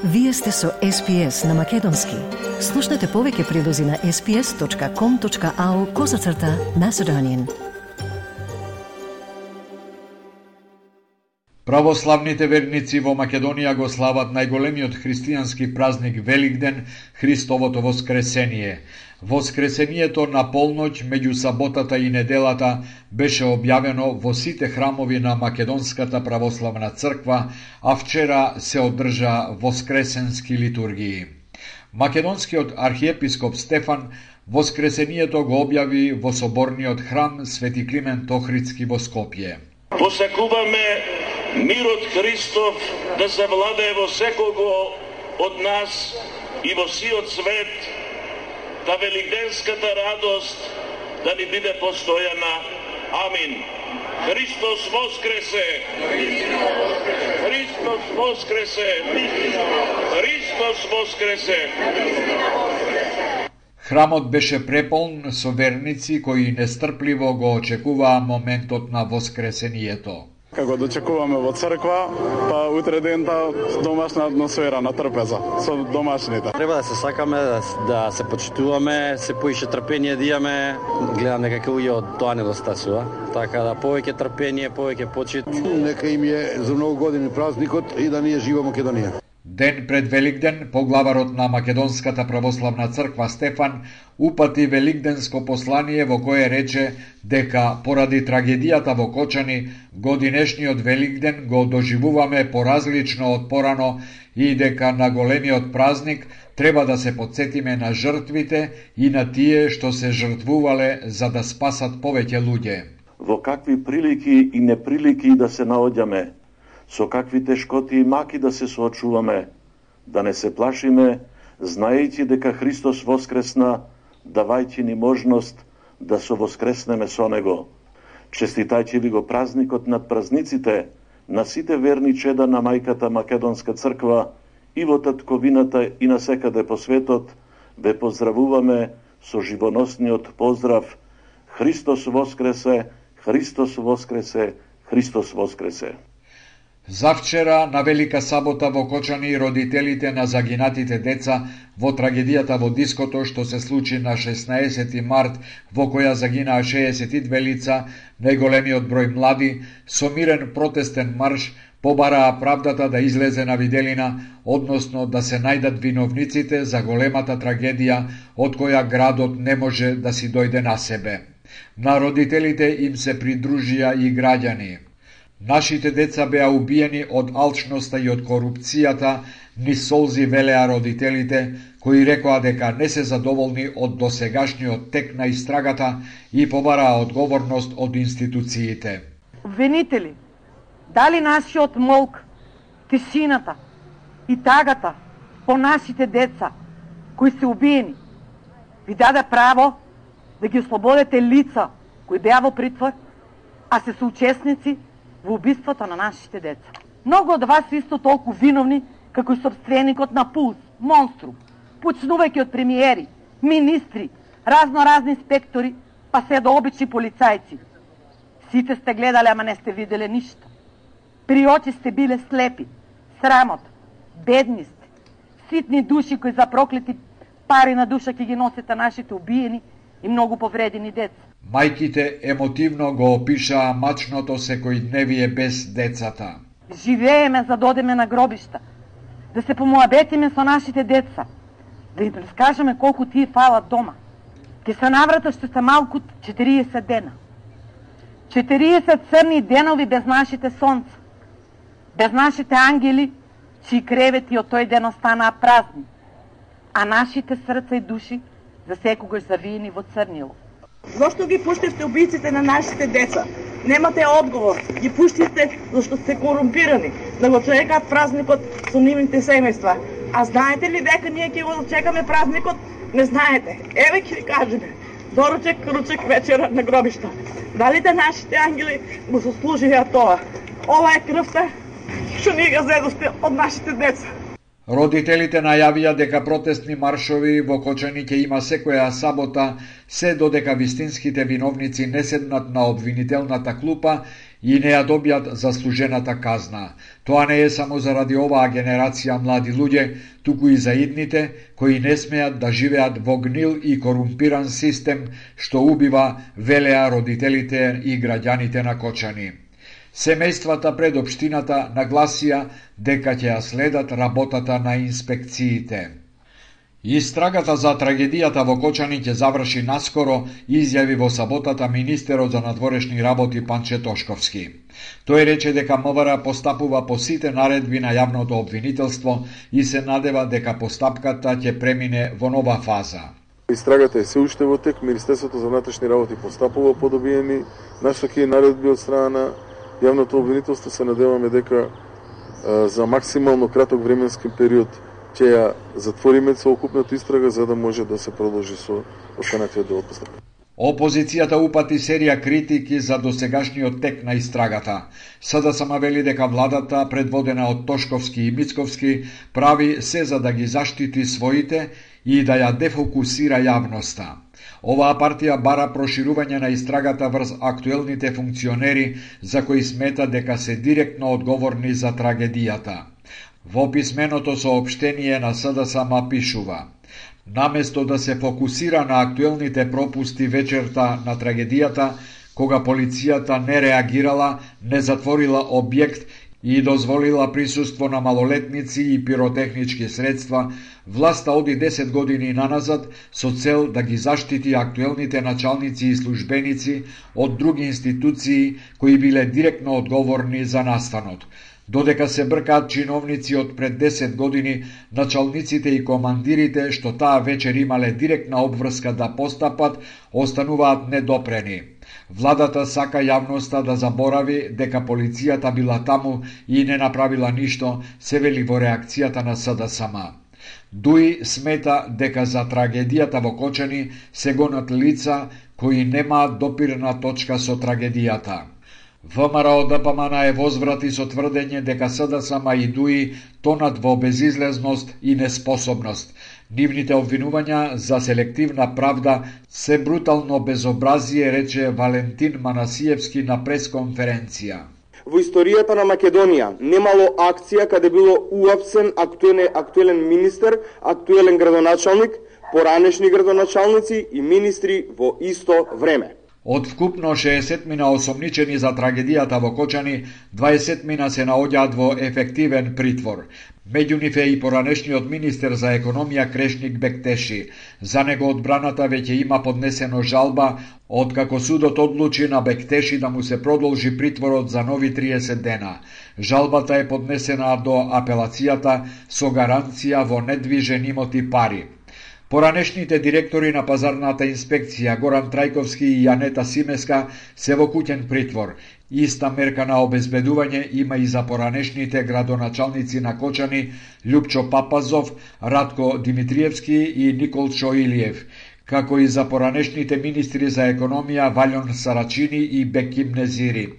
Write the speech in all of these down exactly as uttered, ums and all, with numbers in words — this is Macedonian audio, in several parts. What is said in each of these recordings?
Вие сте со Ес Пи Ес на Македонски. Слушнете повеќе прилози на ес пи ес точка ком точка ау козацрта Macedonian. Православните верници во Македонија го слават најголемиот христијански празник Великден, Христовото воскресение. Воскресението на полноќ меѓу саботата и неделата беше објавено во сите храмови на Македонската православна црква, а вчера се одржа воскресенски литургии. Македонскиот архиепископ Стефан воскресението го објави во соборниот храм Свети Климент Охридски во Скопје. Посакуваме мирот Христов да завладее во секого од нас и во сиот свет, да великденската радост да ни биде постојана. Амин. Христос воскресе! Христос воскресе! Христос воскресе! Храмот беше преполн со верници кои нестрпливо го очекуваа моментот на воскресението. Како дочекуваме во црква, па утре дента домашна атмосфера на трпеза со домашните. Треба да се сакаме, да, да се почитуваме, се поише трпение да имаме. Гледам дека луѓе од тоа недостасува. Така да повеќе трпение, повеќе почит. Нека им е за многу години празникот и да ни е жива Македонија. Ден пред Великден, поглаварот на Македонската православна црква Стефан упати великденско послание во кое рече дека поради трагедијата во Кочани, годинешниот Великден го доживуваме поразлично од порано и дека на големиот празник треба да се потсетиме на жртвите и на тие што се жртвувале за да спасат повеќе луѓе. Во какви прилики и неприлики да се наоѓаме, со какви тешкоти и маки да се соочуваме, да не се плашиме, знаејќи дека Христос воскресна, давајќи ни можност да се воскреснеме со Него. Честитајќи ви го празникот над празниците на сите верни чеда на мајката Македонска црква и во татковината и насекаде по светот, ве поздравуваме со живоносниот поздрав Христос воскресе, Христос воскресе, Христос воскресе. Завчера, на Велика сабота во Кочани, родителите на загинатите деца во трагедијата во диското што се случи на шеснаесети март, во која загинаа шеесет и две лица, најголемиот број млади, со мирен протестен марш, побараа правдата да излезе на виделина, односно да се најдат виновниците за големата трагедија од која градот не може да си дојде на себе. На родителите им се придружија и граѓани. Нашите деца беа убиени од алчноста и од корупцијата, ни солзи велеа родителите, кои рекоа дека не се задоволни од досегашниот тек на истрагата и побараа одговорност од институциите. Обвинители, дали нашиот молк, тишината и тагата по нашите деца кои се убиени, ви даде право да ги ослободите лица кои беа во притвор, а се соучесници во убиството на нашите деца. Многу од вас исто толку виновни како и собственикот на Пулс, Монструм, почнувајќи од премиери, министри, разно-разни инспектори, па се до обични полицајци. Сите сте гледале, ама не сте виделе ништо. При очи сте биле слепи, срамот, бедни сте, ситни души кои за проклети пари на душа ќе ги носите нашите убиени и многу повредени деца. Мајките емотивно го опишаа мачното секојдневие без децата. Живееме за да одеме на гробишта, да се помоабетиме со нашите деца, да им раскажеме колку тие фалат дома. Ке се наврата што се малку четириесет дена. четириесет црни денови без нашите сонца, без нашите ангели, чии кревети од тој ден останаа празни, а нашите срца и души за секогаш завиени во црнило. Зошто ги пуштивте убиците на нашите деца? Немате одговор. Ги пуштивте зашто сте корумпирани, да го чекаат празникот со нивните семејства. А знаете ли дека ние ќе го чекаме празникот? Не знаете. Еве ќе ви кажеме. Доручек, ручек, вечера на гробишта. Дали да нашите ангели го сослужија тоа? Ова е крвта што ние ga зедовте од нашите деца. Родителите најавија дека протестни маршови во Кочани ќе има секоја сабота, се додека вистинските виновници не седнат на обвинителната клупа и не ја добијат заслужената казна. Тоа не е само заради оваа генерација млади луѓе, туку и за идните кои не смеат да живеат во гнил и корумпиран систем што убива, велеа родителите и граѓаните на Кочани. Семејствата пред општината нагласија дека ќе ја следат работата на инспекциите. Истрагата за трагедијата во Кочани ќе заврши наскоро, изјави во саботата министерот за надворешни работи Панче Тошковски. Тој рече дека МВР постапува по сите наредби на јавното обвинителство и се надева дека постапката ќе премине во нова фаза. Истрагата е се уште во тек, Министерството за внатрешни работи постапува по добиени нашаки наредби од страна на јавното обвинителство. Се надеваме дека а, за максимално краток временски период ќе ја затвориме целокупната истрага за да може да се продолжи со останатиот дел од постапката. Опозицијата упати серија критики за досегашниот тек на истрагата. СДСМ вели дека владата, предводена од Тошковски и Мицковски, прави се за да ги заштити своите и да ја дефокусира јавноста. Оваа партија бара проширување на истрагата врз актуелните функционери за кои смета дека се директно одговорни за трагедијата. Во писменото соопштение на СДСМ пишува: наместо да се фокусира на актуелните пропусти вечерта на трагедијата, кога полицијата не реагирала, не затворила објект и дозволила присуство на малолетници и пиротехнички средства, власта оди десет години наназад со цел да ги заштити актуелните началници и службеници од други институции кои биле директно одговорни за настанот. Додека се бркаат чиновници од пред десет години, началниците и командирите што таа вечер имале директна обврска да постапат, остануваат недопрени. Владата сака јавноста да заборави дека полицијата била таму и не направила ништо, се вели во реакцијата на СДСМ. Дуи смета дека за трагедијата во Кочани се гонат лица кои немаат допирна точка со трагедијата. ВМРО ДПМН е возврати со тврдење дека СДСМ и ДУИ тонат во безизлезност и неспособност. Нивните обвинувања за селективна правда се брутално безобразие, рече Валентин Манасиевски на пресконференција. Во историјата на Македонија немало акција каде било уапсен актуелен, актуелен министер, актуелен градоначалник, поранешни градоначалници и министри во исто време. Од вкупно шеесет мина осомничени за трагедијата во Кочани, дваесет мина се наоѓаат во ефективен притвор. Меѓу нив е и поранешниот министер за економија Крешник Бектеши. За него одбраната веќе има поднесено жалба, откако судот одлучи на Бектеши да му се продолжи притворот за нови триесет дена. Жалбата е поднесена до апелацијата со гаранција во недвижен имот и пари. Поранешните директори на пазарната инспекција Горан Трајковски и Јанета Симеска се во куќен притвор. Иста мерка на обезбедување има и за поранешните градоначалници на Кочани Љупчо Папазов, Радко Димитриевски и Николчо Илиев, како и за поранешните министри за економија Валјон Сарачини и Беким Незири.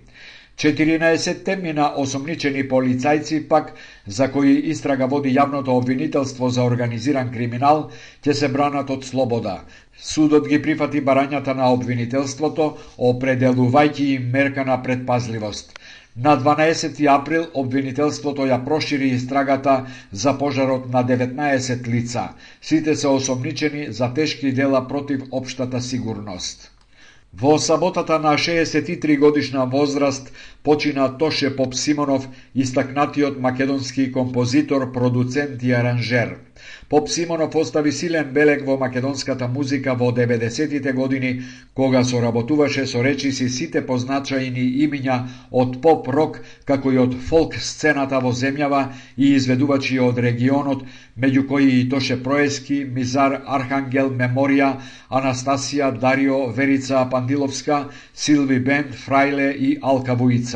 четиринаесет мина осомничени полицајци пак, за кои истрага води јавното обвинителство за организиран криминал, ќе се бранат од слобода. Судот ги прифати барањата на обвинителството, определувајќи им мерка на предпазливост. На дванаесети април обвинителството ја прошири истрагата за пожарот на деветнаесет лица. Сите се осомничени за тешки дела против општата сигурност. Во саботата на шеесет и три годишна возраст почина Тоше Попсимонов, истакнатиот македонски композитор, продуцент и аранжер. Попсимонов остави силен белег во македонската музика во деветдесетите години, кога соработуваше со речиси сите позначајни имиња од поп-рок, како и од фолк сцената во земјава и изведувачи од регионот, меѓу кои и Тоше Проески, Мизар, Архангел, Меморија, Анастасија, Дарио, Верица Пандиловска, Силви Бенд, Фрајле и Алка Вуица.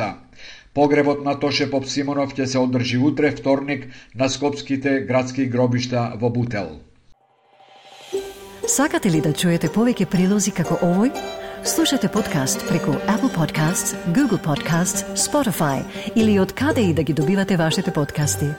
Погребот на Тоше Попсимонов ќе се одржи утре, вторник, на скопските градски гробишта во Бутел. Сакате ли да чуете повеќе прилози како овој? Слушате подкаст преку Apple Podcasts, Google Podcasts, Spotify или од каде и да ги добивате вашите подкасти.